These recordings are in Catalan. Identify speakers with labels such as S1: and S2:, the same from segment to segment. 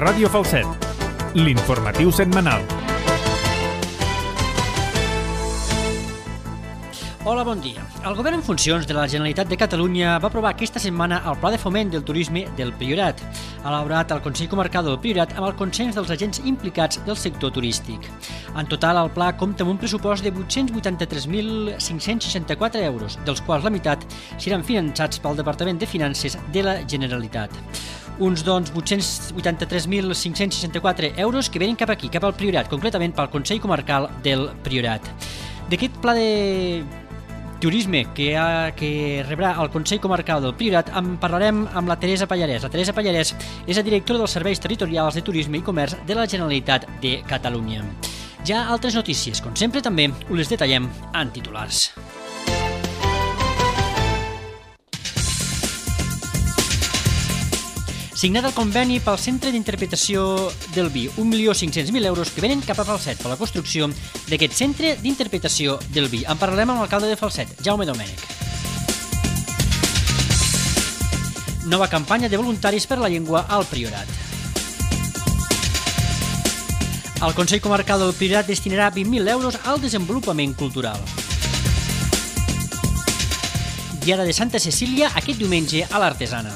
S1: Ràdio Falset, l'informatiu setmanal.
S2: Hola, bon dia. El govern en funcions de la Generalitat de Catalunya va aprovar aquesta setmana el Pla de Foment del Turisme del Priorat, elaborat al Consell Comarcal del Priorat amb el consens dels agents implicats del sector turístic. En total, el pla compta amb un pressupost de 883.564 euros, dels quals la meitat seran finançats pel Departament de Finances de la Generalitat. Uns 883.564 euros que venen cap aquí, cap al Priorat, concretament pel Consell Comarcal del Priorat. D'aquest pla de turisme que rebrà el Consell Comarcal del Priorat en parlarem amb la Teresa Pallarès. La Teresa Pallarès és la directora dels Serveis Territorials de Turisme i Comerç de la Generalitat de Catalunya. Ja altres notícies, com sempre també us les detallem en titulars. Signat el conveni pel Centre d'Interpretació del Vi, 1.500.000 euros que venen cap a Falset per la construcció d'aquest Centre d'Interpretació del Vi. En parlarem amb l'alcalde de Falset, Jaume Domènech. Nova campanya de voluntaris per la llengua al Priorat. El Consell Comarcal del Priorat destinarà 20.000 euros al desenvolupament cultural. Diada de Santa Cecília aquest diumenge a l'Artesana.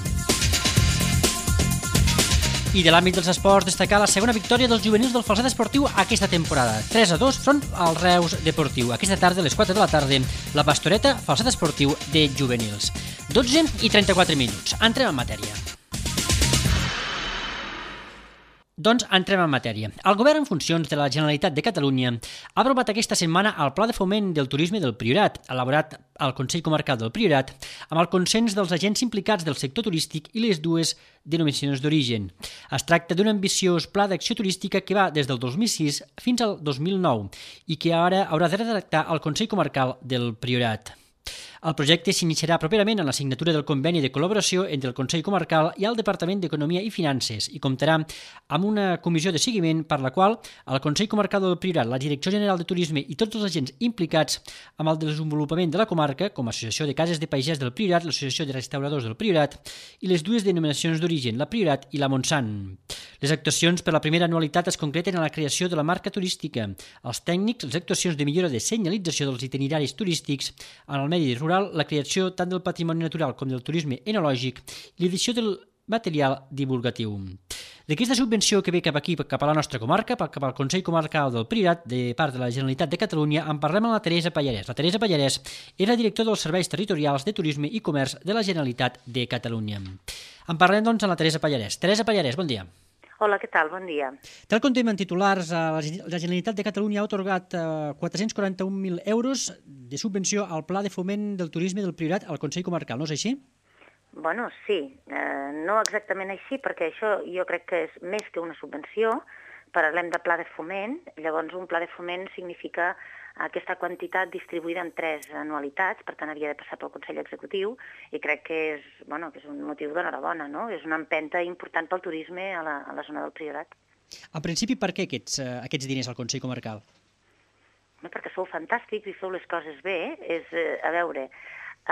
S2: I de l'àmbit dels esports, destacar la segona victòria dels juvenils del Falset Esportiu aquesta temporada. 3-2 front al Reus Deportiu. Aquesta tarda, a les 4 de la tarda, la Pastoreta, Falset Esportiu de juvenils. 12:34. Entrem en matèria. Doncs entrem en matèria. El govern en funcions de la Generalitat de Catalunya ha aprovat aquesta setmana el Pla de Foment del Turisme del Priorat, elaborat al Consell Comarcal del Priorat, amb el consens dels agents implicats del sector turístic i les dues denominacions d'origen. Es tracta d'un ambiciós pla d'acció turística que va des del 2006 fins al 2009 i que ara haurà de redactar el Consell Comarcal del Priorat. El projecte s'iniciarà properament en la signatura del conveni de col·laboració entre el Consell Comarcal i el Departament d'Economia i Finances i comptarà amb una comissió de seguiment per la qual el Consell Comarcal del Priorat, la Direcció General de Turisme i tots els agents implicats amb el desenvolupament de la comarca, com l'Associació de Cases de Pagès del Priorat, l'Associació de Restauradors del Priorat i les dues denominacions d'origen, la Priorat i la Montsant. Les actuacions per la primera anualitat es concreten en la creació de la marca turística, els tècnics, les actuacions de millora de senyalització dels itineraris turístics en el medi rural, la creació tant del patrimoni natural com del turisme enològic i l'edició del material divulgatiu. D'aquesta subvenció que ve cap aquí, cap a la nostra comarca, cap al Consell Comarcal del Priorat, de part de la Generalitat de Catalunya, en parlem amb la Teresa Pallarès. La Teresa Pallarès és la directora dels Serveis Territorials de Turisme i Comerç de la Generalitat de Catalunya. En parlem, doncs, amb la Teresa Pallarès. Teresa Pallarès, bon dia.
S3: Hola, què tal? Bon dia.
S2: Tal com tenim en titulars, la Generalitat de Catalunya ha atorgat 441.000 euros de subvenció al Pla de Foment del Turisme del Priorat al Consell Comarcal, no és així?
S3: Bueno, sí, no exactament així, perquè això jo crec que és més que una subvenció. Parlem de pla de foment, llavors un pla de foment significa aquesta quantitat distribuïda en 3 anualitats, per tant havia de passar pel Consell Executiu i crec que és un motiu d'enhorabona, no? És una empenta important pel turisme a la zona del Priorat.
S2: En principi, per què aquests diners al Consell Comarcal?
S3: Perquè sou fantàstics i feu les coses bé. A veure,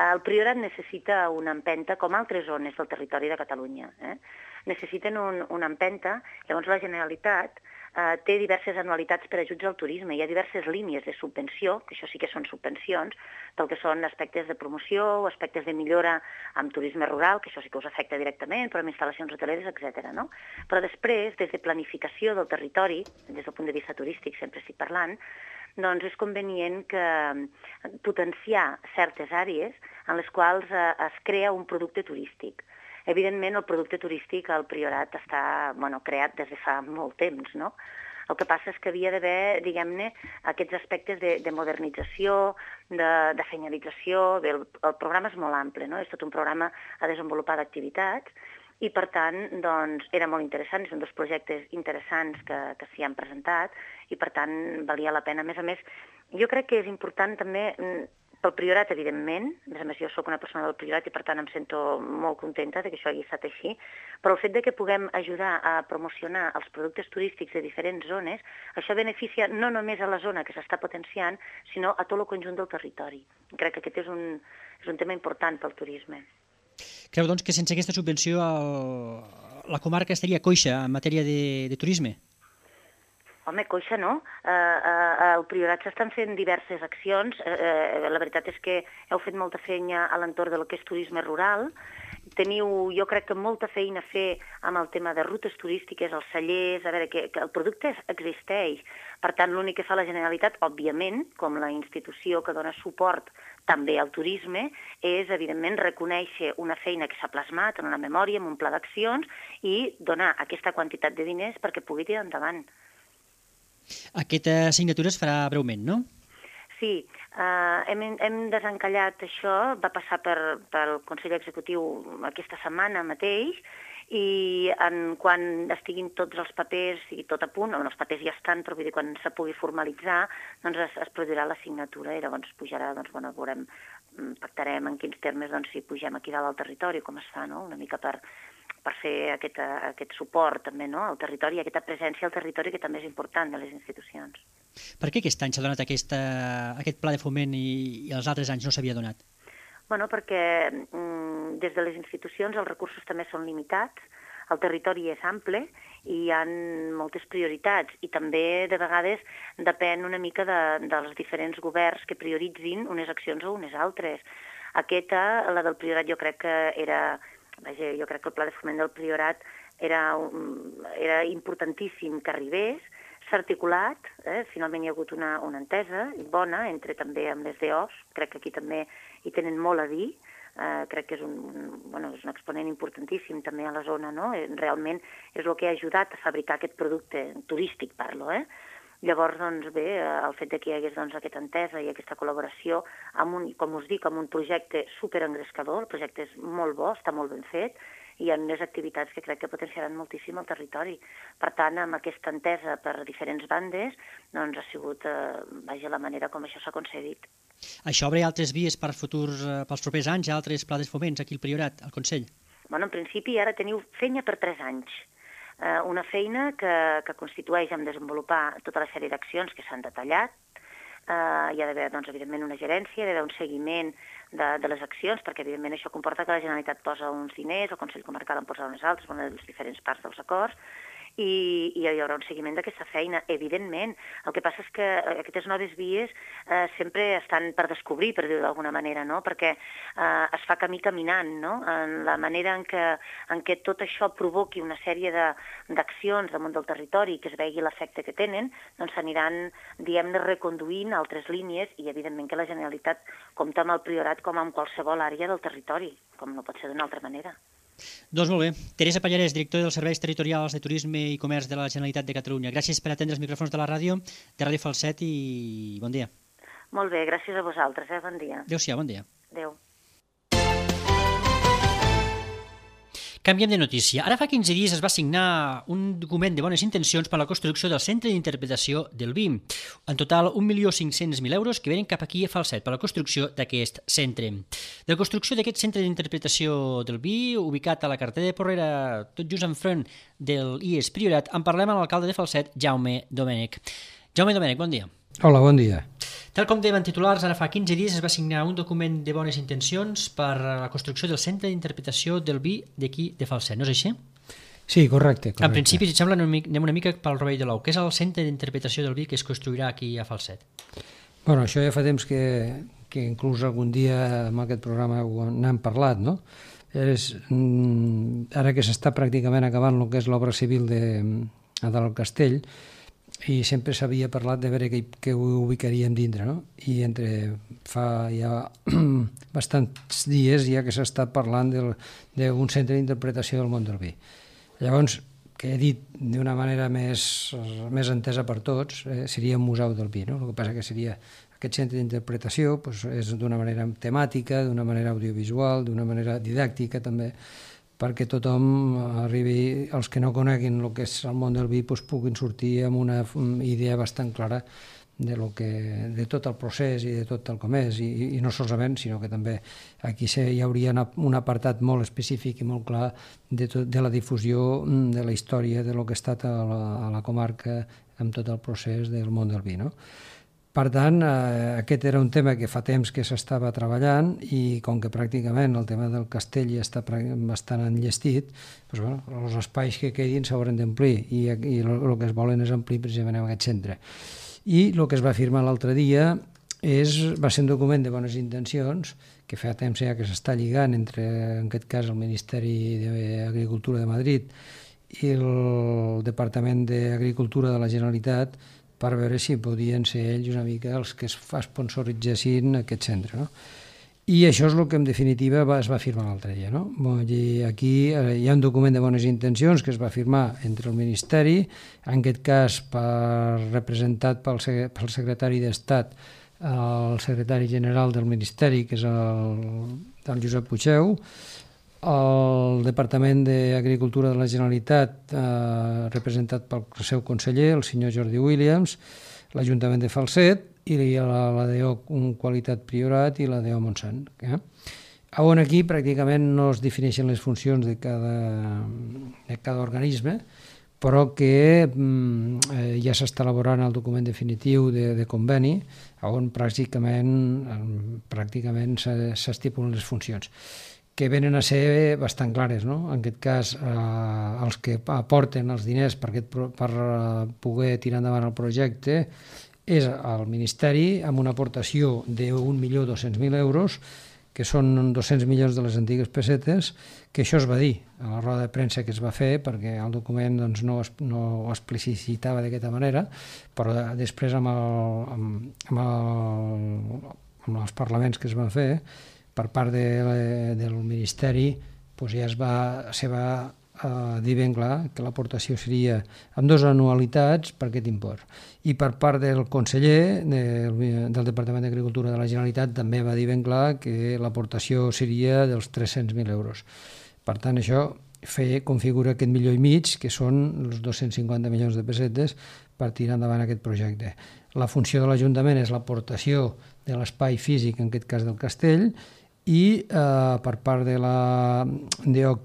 S3: el Priorat necessita una empenta com altres zones del territori de Catalunya. Necessiten una empenta, llavors la Generalitat té diverses anualitats per ajuts al turisme. Hi ha diverses línies de subvenció, que això sí que són subvencions, del que són aspectes de promoció o aspectes de millora amb turisme rural, que això sí que us afecta directament, però amb instal·lacions hoteleres, etc. Però després, des de planificació del territori, des del punt de vista turístic, sempre estic parlant, doncs és convenient potenciar certes àrees en les quals es crea un producte turístic. Evidentment, el producte turístic al Priorat està creat des de fa molt temps, no? El que passa és que havia d'haver, diguem-ne, aquests aspectes de modernització, de senyalització. El programa és molt ample, no? És tot un programa a desenvolupar d'activitats i, per tant, doncs, era molt interessant. És un dels projectes interessants que s'hi han presentat i, per tant, valia la pena. A més, jo crec que és important també pel Priorat, evidentment. A més, jo soc una persona del Priorat i, per tant, em sento molt contenta que això hagi estat així, però el fet que puguem ajudar a promocionar els productes turístics de diferents zones, això beneficia no només a la zona que s'està potenciant, sinó a tot el conjunt del territori. Crec que aquest és un tema important pel turisme.
S2: Creu, doncs, que sense aquesta subvenció la comarca estaria coixa en matèria de turisme?
S3: Home, coixa no. Al Priorat s'estan fent diverses accions. La veritat és que heu fet molta feina a l'entorn del que és turisme rural. Teniu, jo crec que molta feina a fer amb el tema de rutes turístiques, els cellers, a veure, que el producte existeix. Per tant, l'únic que fa la Generalitat, òbviament, com la institució que dona suport també al turisme, és, evidentment, reconèixer una feina que s'ha plasmat en una memòria, en un pla d'accions, i donar aquesta quantitat de diners perquè pugui tirar endavant.
S2: Aquesta signatura es farà breument, no?
S3: Sí, hem desencallat això, va passar pel Consell Executiu aquesta setmana mateix, i quan estiguin tots els papers, sigui tot a punt, els papers ja estan, però vull dir, quan se pugui formalitzar, doncs es produirà la signatura i llavors pujarà, doncs, bueno, veurem, pactarem en quins termes, doncs, si pugem aquí dalt al territori, com es fa, no?, una mica per fer aquest suport també, no?, al territori, aquesta presència al territori que també és important de les institucions.
S2: Per què aquest any s'ha donat aquest pla de foment i els altres anys no s'havia donat?
S3: Bueno, perquè des de les institucions els recursos també són limitats, el territori és ample i hi ha moltes prioritats i també de vegades depèn una mica dels diferents governs que prioritzin unes accions o unes altres. Aquesta, la del Priorat, jo crec que era... Vaja, jo crec que el pla de foment del Priorat era importantíssim que arribés, s'ha articulat, finalment hi ha hagut una entesa bona entre també amb les DOs, crec que aquí també hi tenen molt a dir, crec que és un exponent importantíssim també a la zona, no? Realment és el que ha ajudat a fabricar aquest producte turístic, parlo, Llavors, doncs bé, el fet que hi hagués aquesta entesa i aquesta col·laboració amb com us dic, amb un projecte superengrescador, el projecte és molt bo, està molt ben fet, i hi ha unes activitats que crec que potenciaran moltíssim el territori. Per tant, amb aquesta entesa per diferents bandes, doncs ha sigut, la manera com això s'ha concedit.
S2: Això obre altres vies pels propers anys, altres plans de foments aquí al Priorat, al Consell?
S3: Bueno, en principi ara teniu feina per 3 anys. Una feina que constitueix en desenvolupar tota la sèrie d'accions que s'han detallat. Hi ha d'haver, doncs, evidentment, una gerència, hi ha d'haver un seguiment de les accions, perquè, evidentment, això comporta que la Generalitat posa uns diners, el Consell Comarcal en posa uns altres, una de les diferents parts dels acords, i hi haurà un seguiment d'aquesta feina, evidentment. El que passa és que aquestes noves vies sempre estan per descobrir, per dir-ho d'alguna manera, no? Perquè es fa camí caminant, no? En la manera en què tot això provoqui una sèrie d'accions damunt del territori, que es vegi l'efecte que tenen, doncs s'aniran, diguem-ne, reconduint altres línies i, evidentment, que la Generalitat compta amb el Priorat com amb qualsevol àrea del territori, com no pot ser d'una altra manera.
S2: Doncs molt bé. Teresa Pallarès, directora dels Serveis Territorials de Turisme i Comerç de la Generalitat de Catalunya. Gràcies per atendre els micròfons de la ràdio, de Ràdio Falset, i bon dia.
S3: Molt bé, gràcies a vosaltres, bon dia.
S2: Adéu-siau, bon dia.
S3: Adéu.
S2: Canviem de notícia. Ara fa 15 dies es va signar un document de bones intencions per a la construcció del Centre d'Interpretació del Vi. En total, 1.500.000 euros que venen cap aquí a Falset per a la construcció d'aquest centre. De la construcció d'aquest Centre d'Interpretació del Vi, ubicat a la carretera de Porrera, tot just enfront del IES Priorat, en parlem amb l'alcalde de Falset, Jaume Domènech. Jaume Domènech, bon dia.
S4: Hola, bon dia.
S2: Tal com dèiem en titulars, ara fa 15 dies es va signar un document de bones intencions per a la construcció del Centre d'Interpretació del Vi d'aquí de Falset, no és així?
S4: Sí, correcte.
S2: En principi, si et sembla, anem una mica pel rovell de l'ou. Què és el Centre d'Interpretació del Vi que es construirà aquí a Falset?
S4: Bueno, això ja fa temps que inclús algun dia en aquest programa n'hem parlat, no? Ara que s'està pràcticament acabant el que és l'obra civil del castell, i sempre s'havia parlat de veure què ho ubicaríem dintre, no? I fa ja bastants dies ja que s'està parlant d'un centre d'interpretació del món del vi. Llavors, que he dit d'una manera més entesa per tots, seria un museu del vi, no? El que passa que seria aquest centre d'interpretació, és d'una manera temàtica, d'una manera audiovisual, d'una manera didàctica també, perquè tothom arribi, els que no coneguin el que és el món del vi, puguin sortir amb una idea bastant clara de tot el procés i de tot el com és, i no solament, sinó que també aquí hi hauria un apartat molt específic i molt clar de la difusió de la història de lo que ha estat a la comarca amb tot el procés del món del vi, no? Per tant, aquest era un tema que fa temps que s'estava treballant i com que pràcticament el tema del castell ja està bastant enllestit, doncs, bueno, els espais que quedin s'hauran d'omplir i el que es volen és omplir precisament en aquest centre. I el que es va firmar l'altre dia va ser un document de bones intencions que fa temps ja que s'està lligant entre, en aquest cas, el Ministeri d'Agricultura de Madrid i el Departament d'Agricultura de la Generalitat per veure si podien ser ells una mica els que es sponsoritzessin aquest centre, no? I això és el que en definitiva es va firmar l'altre dia, no? Aquí hi ha un document de bones intencions que es va firmar entre el Ministeri, en aquest cas representat pel secretari d'Estat, el secretari general del Ministeri, que és el Josep Puigdeu, el Departament d'Agricultura de la Generalitat, representat pel seu conseller, el senyor Jordi Williams, l'Ajuntament de Falset i la DO Qualitat Priorat i la DO Montsant. On aquí pràcticament no es defineixen les funcions de cada organisme, però que ja s'està elaborant el document definitiu de conveni, on pràcticament s'estipulen les funcions, que venen a ser bastant clares, no? En aquest cas, els que aporten els diners per poder tirar endavant el projecte és el Ministeri, amb una aportació de 1.200.000 euros, que són 200 milions de les antigues pessetes, que això es va dir a la roda de premsa que es va fer, perquè el document doncs, no ho explicitava d'aquesta manera, però després amb els parlaments que es van fer, per part del Ministeri, doncs ja se va dir ben clar que l'aportació seria amb 2 anualitats per aquest import. I per part del conseller del Departament d'Agricultura de la Generalitat també va dir ben clar que l'aportació seria dels 300.000 euros. Per tant, això configura aquest 1,5 milió, que són els 250 milions de pessetes per tirar endavant aquest projecte. La funció de l'Ajuntament és l'aportació de l'espai físic, en aquest cas del castell, i per part de la DO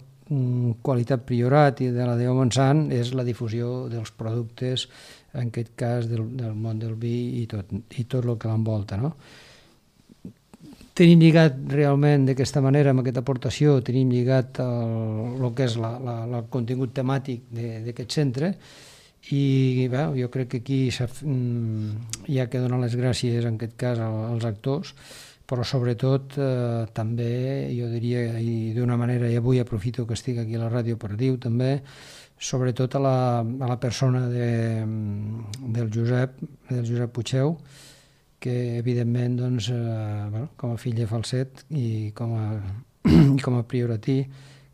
S4: Qualitat Priorat i de la DO Montsant és la difusió dels productes, en aquest cas del món del vi i tot el que l'envolta, no? Tenim lligat realment d'aquesta manera, amb aquesta aportació, tenim lligat el que és el contingut temàtic d'aquest centre, i bé, jo crec que aquí hi ha que donar les gràcies, en aquest cas, als actors, però sobretot també, jo diria, i d'una manera, i avui aprofito que estic aquí a la ràdio per dir-ho també, sobretot a la persona del Josep Puigdeu, que evidentment, doncs, com a fill de Falset i com a prioratí,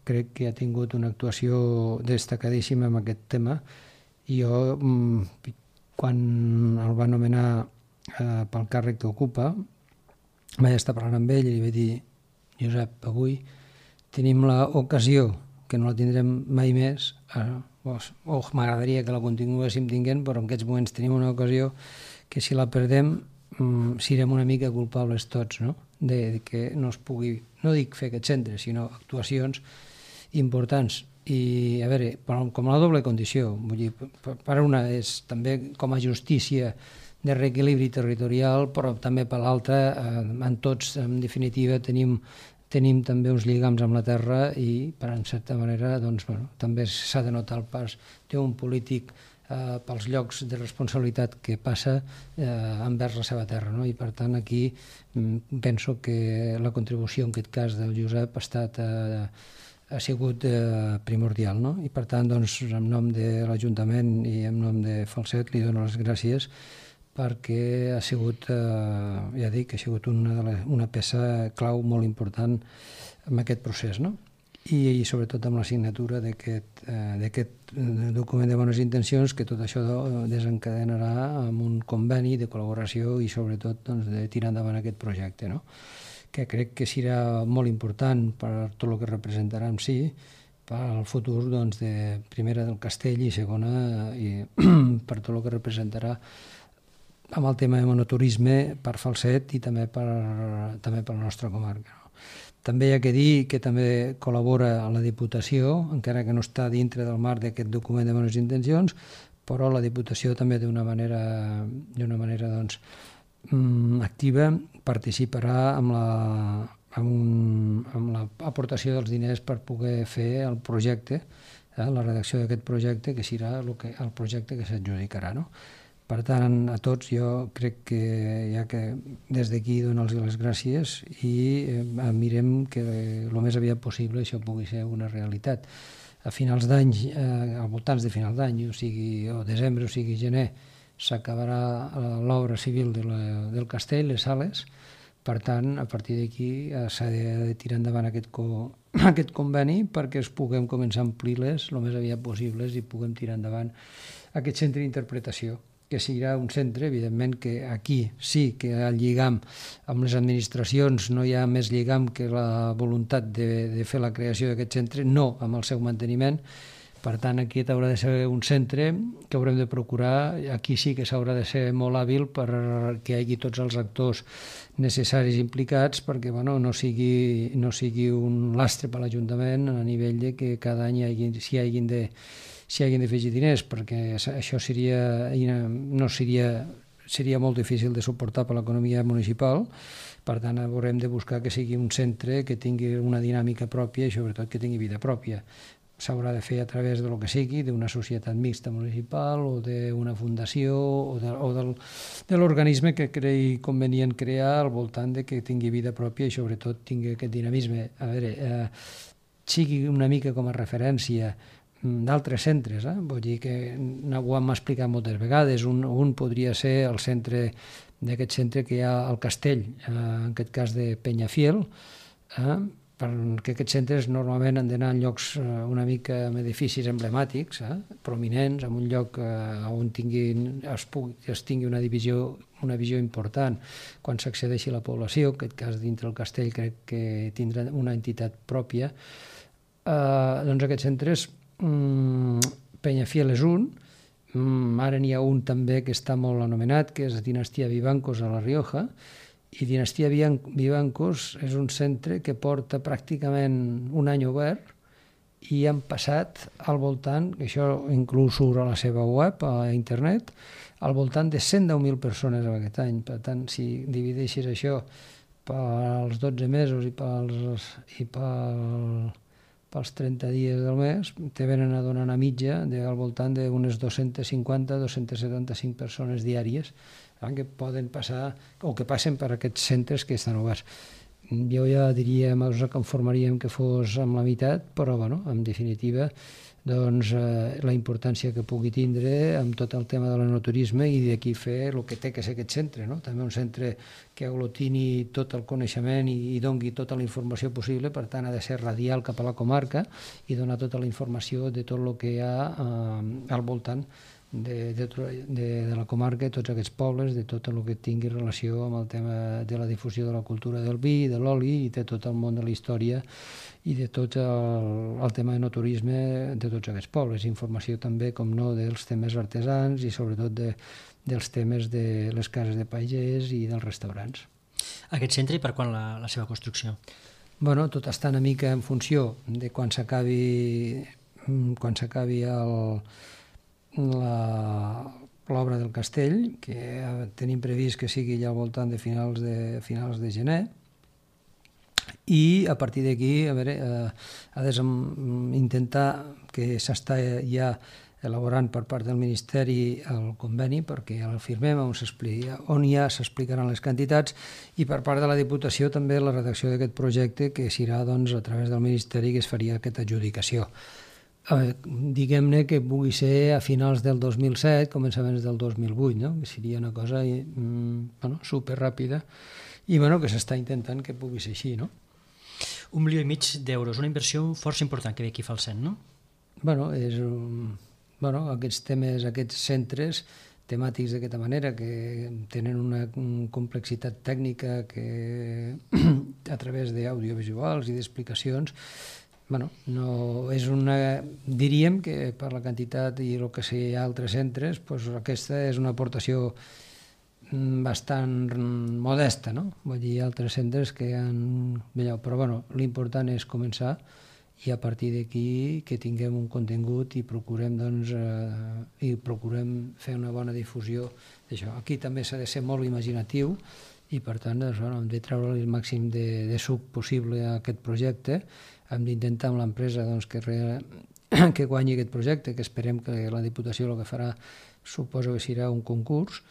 S4: crec que ha tingut una actuació destacadíssima en aquest tema, i jo, quan el va nomenar pel càrrec que ocupa, vaig estar parlant amb ell i li vaig dir: Josep, avui tenim l'ocasió, que no la tindrem mai més, m'agradaria que la continuéssim tinguent, però en aquests moments tenim una ocasió que si la perdem serem una mica culpables tots, no? De que no es pugui, no dic fer aquest centre, sinó actuacions importants. I, a veure, com la doble condició, vull dir, per una és també com a justícia de reequilibri territorial, però també per l'altra, en tots, en definitiva, tenim també uns lligams amb la terra i, per en certa manera, doncs, bueno, també s'ha de notar el pas d'un polític pels llocs de responsabilitat que passa envers la seva terra, no? I, per tant, aquí penso que la contribució, en aquest cas, del Josep ha sigut primordial, no? I, per tant, doncs, en nom de l'Ajuntament i en nom de Falset li dono les gràcies perquè ha sigut, ja dic, ha sigut una peça clau molt important en aquest procés, no? I sobretot amb la signatura d'aquest document de bones intencions, que tot això desencadenarà amb un conveni de col·laboració i sobretot de tirar endavant aquest projecte, no? Que crec que serà molt important per tot el que representarà en si, per al futur, primera del castell i segona per tot el que representarà amb el tema de monoturisme per Falset i també per la nostra comarca. També hi ha que dir que també col·labora a la Diputació, encara que no està dintre del marc d'aquest document de bones intencions, però la Diputació també d'una manera activa participarà amb l'aportació dels diners per poder fer el projecte, la redacció d'aquest projecte, que serà el projecte que s'adjudicarà, no? Per tant, a tots jo crec que ja que des d'aquí donar-los les gràcies i mirem que el més aviat possible això pugui ser una realitat. A finals d'any, al voltants de finals d'any, o desembre o sigui gener, s'acabarà l'obra civil del castell, les sales. Per tant, a partir d'aquí s'ha de tirar endavant aquest conveni perquè es puguem començar a omplir-les el més aviat possibles i puguem tirar endavant aquest centre d'interpretació, que serà un centre, evidentment, que aquí sí que el lligam amb les administracions no hi ha més lligam que la voluntat de fer la creació d'aquest centre, no amb el seu manteniment. Per tant, aquí haurà de ser un centre que haurem de procurar, aquí sí que s'haurà de ser molt hàbil perquè hi hagi tots els actors necessaris implicats perquè no sigui un lastre per l'Ajuntament a nivell de que cada any s'hi hagin de afegir diners, perquè això seria molt difícil de suportar per l'economia municipal. Per tant, haurem de buscar que sigui un centre que tingui una dinàmica pròpia i sobretot que tingui vida pròpia. S'haurà de fer a través de lo que sigui, d'una societat mixta municipal o d'una fundació o de l'organisme que creï convenient crear al voltant de que tingui vida pròpia i sobretot tingui aquest dinamisme. A veure, sigui una mica com a referència d'altres centres, vull dir que ho hem explicat moltes vegades. Un podria ser el centre d'aquest centre que hi ha al castell, en aquest cas de Peñafiel, perquè aquests centres normalment han d'anar en llocs una mica amb edificis emblemàtics, prominents, en un lloc on es tingui una visió important quan s'accedeixi a la població. En aquest cas, dintre el castell, crec que tindrà una entitat pròpia. Doncs aquests centres, Peñafiel és un, ara n'hi ha un també que està molt anomenat, que és Dinastia Vivancos a La Rioja, i Dinastia Vivancos és un centre que porta pràcticament un any obert i han passat al voltant, això inclús surt a la seva web, a internet, al voltant de 110.000 persones aquest any. Per tant, si divideixes això pels 12 mesos i pels 30 dies del mes, te venen a donar una mitja al voltant d'unes 250-275 persones diàries que poden passar o que passen per aquests centres que estan oberts. Jo ja diria, ens conformaríem que fos amb la meitat, però en definitiva la importància que pugui tindre amb tot el tema de l'enoturisme i d'aquí fer el que té que ser aquest centre, també un centre que aglutini tot el coneixement i doni tota la informació possible. Per tant, ha de ser radial cap a la comarca i donar tota la informació de tot el que hi ha al voltant de la comarca, de tots aquests pobles, de tot el que tingui relació amb el tema de la difusió de la cultura del vi, de l'oli i de tot el món de la història i de tot el tema de enoturisme de tots aquests pobles. Informació també, com no, dels temes artesans i sobretot dels temes de les cases de pagès i dels restaurants.
S2: Aquest centre i per quan la seva construcció?
S4: Tot està una mica en funció de quan s'acabi l'obra del castell, que tenim previst que sigui ja al voltant de finals de gener, i a partir d'aquí ha d'intentar que s'està ja elaborant per part del Ministeri el conveni perquè el firmem on ja s'explicaran les quantitats, i per part de la Diputació també la redacció d'aquest projecte que serà a través del Ministeri que es faria aquesta adjudicació. Diguem-ne que pugui ser a finals del 2007, començaments del 2008, que seria una cosa superràpida i que s'està intentant que pugui ser així, no?
S2: 1,5 milió d'euros, una inversió força important que ve aquí fa el CEN, no?
S4: Aquests temes, aquests centres temàtics d'aquesta manera, que tenen una complexitat tècnica que a través d'audiovisuals i d'explicacions, no és diríem que per la quantitat i el que hi ha altres centres, aquesta és una aportació bastant modesta, no? Vull dir, altres centres que han... Però l'important és començar i a partir d'aquí que tinguem un contingut i procurem, fer una bona difusió d'això. Aquí també s'ha de ser molt imaginatiu i per tant hem de treure el màxim de suc possible a aquest projecte. Hem d'intentar amb l'empresa que guanyi aquest projecte, que esperem que la Diputació el que farà suposo que serà un concurs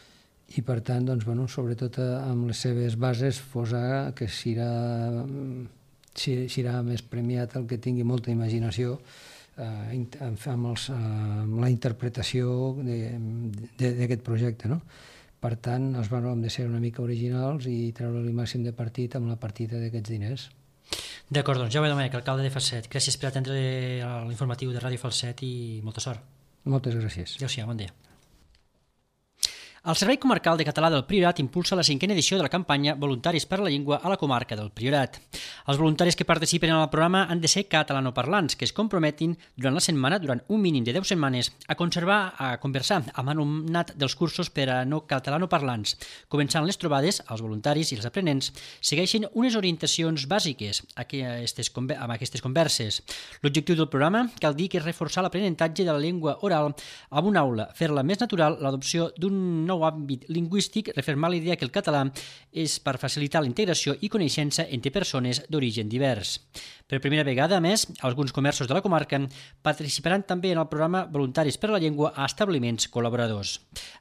S4: i per tant, sobretot amb les seves bases, que serà més premiat el que tingui molta imaginació amb la interpretació d'aquest projecte, no? Per tant, hem de ser una mica originals i treure el màxim de partit amb la partida d'aquests diners.
S2: D'acord, doncs Jaume Domènech, alcalde de Falset, gràcies per atendre l'informatiu de Ràdio Falset i molta sort.
S4: Moltes gràcies.
S2: Adéu-siau, bon dia. El Servei Comarcal de Català del Priorat impulsa la 5a edició de la campanya Voluntaris per la Llengua a la comarca del Priorat. Els voluntaris que participen en el programa han de ser catalanoparlants, que es comprometin durant la setmana, durant un mínim de 10 setmanes, a conversar amb alumnat dels cursos per a no catalanoparlants. Començant les trobades, els voluntaris i els aprenents segueixen unes orientacions bàsiques amb aquestes converses. L'objectiu del programa cal dir que és reforçar l'aprenentatge de la llengua oral amb una aula, fer-la més natural, l'adopció d'un nou àmbit lingüístic, refermar la idea que el català és per facilitar la integració i coneixença entre persones d'origen divers. Per primera vegada, a més, alguns comerços de la comarca participaran també en el programa Voluntaris per la Llengua a establiments col·laboradors.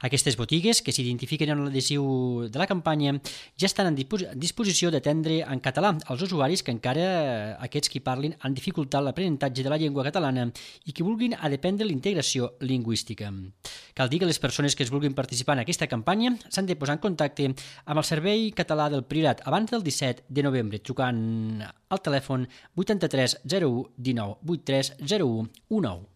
S2: Aquestes botigues, que s'identifiquen en l'adhesiu de la campanya, ja estan en disposició d'atendre en català als usuaris que encara aquests qui parlin han dificultat l'aprenentatge de la llengua catalana i que vulguin dependre la integració lingüística. Cal dir que les persones que es vulguin participar en aquesta campanya s'han de posar en contacte amb el Servei Català del Priorat abans del 17 de novembre, trucant al telèfon 83 01 19 83 01 19.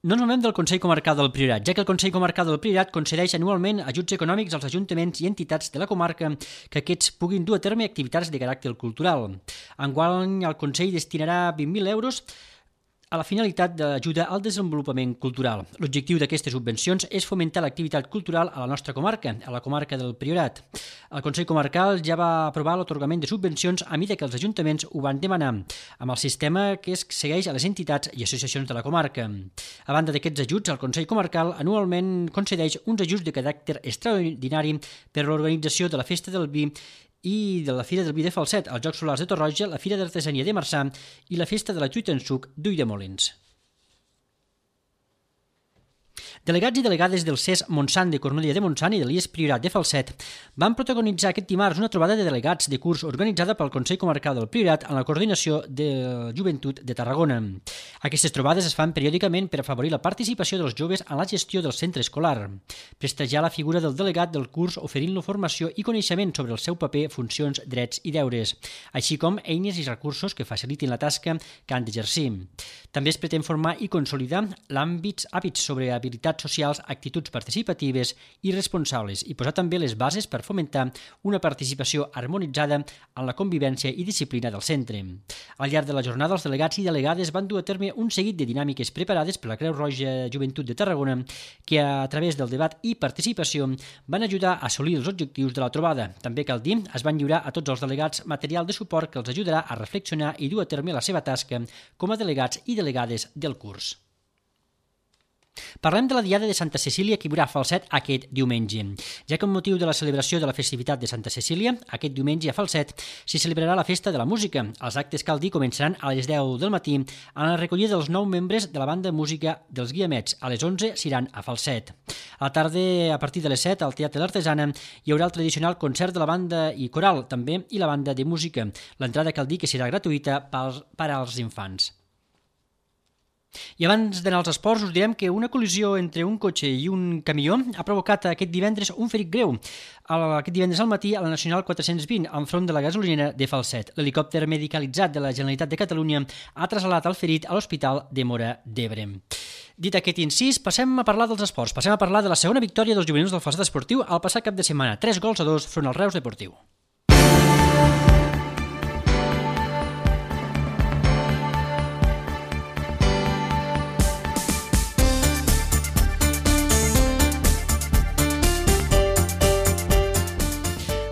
S2: No ens movem del Consell Comarcal del Priorat, ja que el Consell Comarcal del Priorat concedeix anualment ajuts econòmics als ajuntaments i entitats de la comarca que aquests puguin dur a terme activitats de caràcter cultural. Enguany, el Consell destinarà 20.000 euros a la finalitat d'ajuda al desenvolupament cultural. L'objectiu d'aquestes subvencions és fomentar l'activitat cultural a la nostra comarca, a la comarca del Priorat. El Consell Comarcal ja va aprovar l'atorgament de subvencions a mida que els ajuntaments ho van demanar, amb el sistema que es segueix a les entitats i associacions de la comarca. A banda d'aquests ajuts, el Consell Comarcal anualment concedeix uns ajuts de caràcter extraordinari per a l'organització de la Festa del Vi i de la Fira del Vi de Falset, els Jocs Solars de Torroja, la Fira d'Artesania de Marçà i la Festa de la Truita en Suc d'Ulldemolins. Delegats i delegades del CES Montsant de Cornudella de Montsant i de l'IES Priorat de Falset van protagonitzar aquest dimarts una trobada de delegats de curs organitzada pel Consell Comarcal del Priorat en la coordinació de Joventut de Tarragona. Aquestes trobades es fan periòdicament per afavorir la participació dels joves en la gestió del centre escolar, prestigiar la figura del delegat del curs oferint-lo formació i coneixement sobre el seu paper, funcions, drets i deures, així com eines i recursos que facilitin la tasca que han d'exercir. També es pretén formar i consolidar hàbits sobre habilitats socials, actituds participatives i responsables i posar també les bases per fomentar una participació harmonitzada en la convivència i disciplina del centre. Al llarg de la jornada, els delegats i delegades van dur a terme un seguit de dinàmiques preparades per la Creu Roja Joventut de Tarragona que, a través del debat i participació, van ajudar a assolir els objectius de la trobada. També cal dir, es van lliurar a tots els delegats material de suport que els ajudarà a reflexionar i dur a terme la seva tasca com a delegats i delegades del curs. Parlem de la Diada de Santa Cecília que hi haurà a Falset aquest diumenge, ja que amb motiu de la celebració de la festivitat de Santa Cecília, aquest diumenge a Falset s'hi celebrarà la Festa de la Música. Els actes, cal dir, començaran a les 10 del matí amb la recollida dels 9 membres de la banda de música dels Guiamets. A les 11 s'iran a Falset. A la tarda, a partir de les 7, al Teatre l'Artesana, hi haurà el tradicional concert de la banda i coral, també, i la banda de música. L'entrada cal dir que serà gratuïta per als infants. I abans d'anar als esports us direm que una col·lisió entre un cotxe i un camió ha provocat aquest divendres un ferit greu. Aquest divendres al matí a la Nacional 420, enfront de la gasolinera de Falset. L'helicòpter medicalitzat de la Generalitat de Catalunya ha trasladat el ferit a l'Hospital de Móra d'Ebre. Dit aquest incís, passem a parlar dels esports. Passem a parlar de la segona victòria dels juvenils del Falset Esportiu al passat cap de setmana, 3-2 front al Reus Deportiu.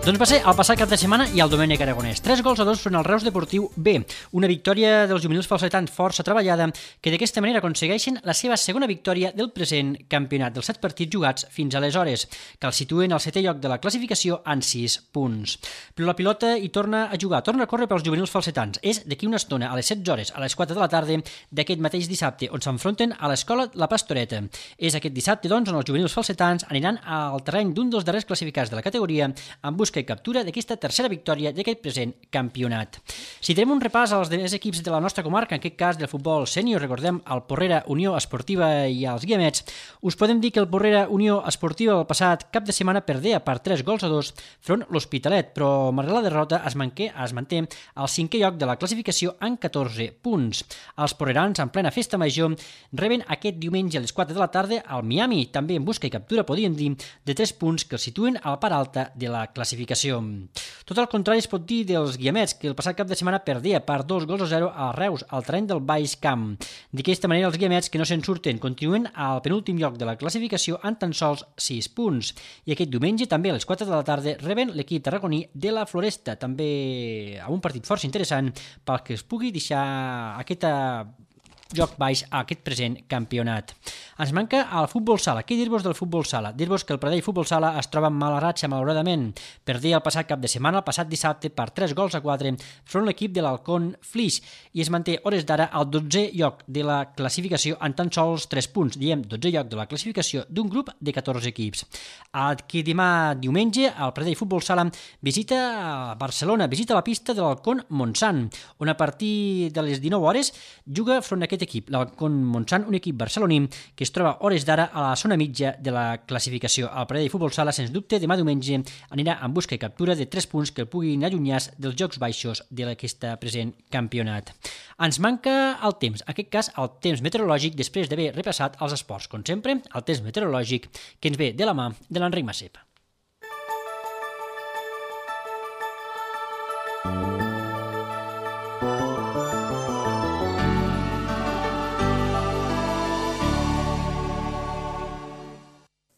S2: Doncs va ser el passat cap de setmana i el Domènec Aragonès. 3-2 front al Reus Deportiu B. Una victòria dels juvenils falsetans força treballada que d'aquesta manera aconsegueixen la seva segona victòria del present campionat dels 7 partits jugats fins aleshores, que el situen al 7è lloc de la classificació en 6 punts. Però la pilota hi torna a jugar, torna a córrer pels juvenils falsetans. És d'aquí una estona, a les 16 hores, a les 4 de la tarda d'aquest mateix dissabte, on s'enfronten a l'escola La Pastoreta. És aquest dissabte, doncs, on els juvenils falsetans aniran al terreny d'un dels darrers classificats de la categoria en busca i captura d'aquesta tercera victòria d'aquest present campionat. Si tenim un repàs als demés equips de la nostra comarca, en aquest cas del futbol sènior, recordem el Porrera Unió Esportiva i els Guiamets, us podem dir que el Porrera Unió Esportiva el passat cap de setmana perdea per 3-2 front l'Hospitalet, però malgrat la derrota es manté al 5è lloc de la classificació en 14 punts. Els porrerans, en plena festa major, reben aquest diumenge a les 4 de la tarda al Miami, també en busca i captura, podríem dir, de 3 punts que els situen a la part alta de la classificació. Tot el contrari es pot dir dels Guiamets, que el passat cap de setmana perdia per 2-0 a Reus, al terreny del Baix Camp. D'aquesta manera, els Guiamets, que no se'n surten, continuen al penúltim lloc de la classificació en tan sols 6 punts. I aquest diumenge, també a les 4 de la tarda, reben l'equip tarragoní de la Floresta, també amb un partit força interessant pel que es pugui deixar aquest joc baix a aquest present campionat. Ens manca el futbol sala. Què dir-vos del futbol sala? Dir-vos que el Pradell Futbol Sala es troba en mala ratxa, malauradament. Perdia el passat cap de setmana, el passat dissabte, per 3-4 front l'equip de l'Halcón Flix i es manté hores d'ara al 12è lloc de la classificació en tan sols 3 punts. Diem 12è lloc de la classificació d'un grup de 14 equips. Aquí demà diumenge el Pradell Futbol Sala visita Barcelona, visita la pista de l'Halcón Montsant, on a partir de les 19 hores juga front a aquest equip, l'Halcón Montsant, un equip barceloní que es troba hores d'ara a la zona mitja de la classificació. El Pradell Futbol Sala, sens dubte, demà diumenge anirà en busca i captura de 3 punts que el puguin allunyar dels jocs baixos d'aquest present campionat. Ens manca el temps, en aquest cas el temps meteorològic, després d'haver repassat els esports. Com sempre, el temps meteorològic que ens ve de la mà de l'Enric Massep.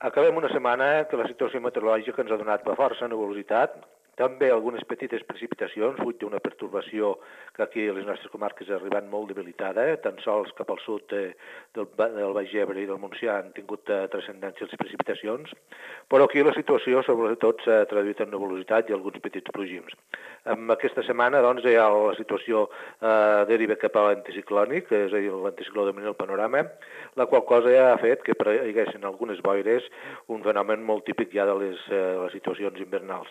S5: Acabem una setmana que la situació meteorològica ens ha donat força nuvolositat, també algunes petites precipitacions, fruit d'una pertorbació que aquí a les nostres comarques ha arribat molt debilitada, tan sols cap al sud del Baix Ebre i del Montsià han tingut transcendència les precipitacions, però aquí la situació sobretot s'ha traduït en nuvolositat i alguns petits plogims. En aquesta setmana doncs, ja la situació deriva cap a l'anticiclònic, és a dir, l'anticicló domina el panorama, la qual cosa ja ha fet que hi haguessin algunes boires, un fenomen molt típic ja de les situacions invernals.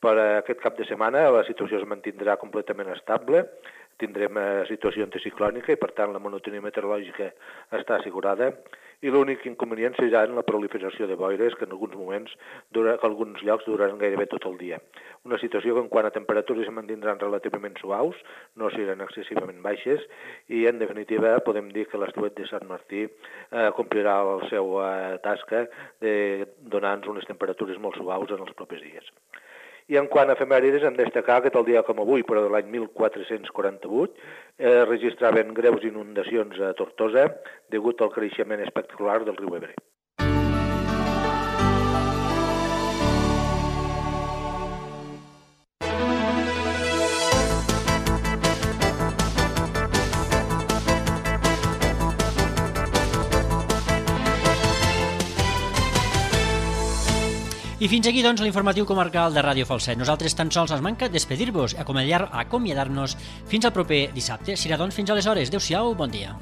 S5: Per aquest cap de setmana la situació es mantindrà completament estable, tindrem situació anticiclònica i per tant la monotonia meteorològica està assegurada i l'únic inconvenient serà en la proliferació de boires que en alguns moments, que alguns llocs duraran gairebé tot el dia. Una situació que en quant a temperatures es mantindran relativament suaus, no seran excessivament baixes i en definitiva podem dir que l'estiuet de Sant Martí complirà la seva tasca de donar-nos unes temperatures molt suaus en els propers dies. I en quant a efemèrides, hem de destacar que tal dia com avui, però de l'any 1448, registraven greus inundacions a Tortosa degut al creixement espectacular del riu Ebre.
S2: I fins aquí, doncs, l'informatiu comarcal de Ràdio Falset. Nosaltres tan sols ens manca despedir-vos, acomiadar-nos fins al proper dissabte. Serà, doncs, fins aleshores. Adéu-siau, bon dia.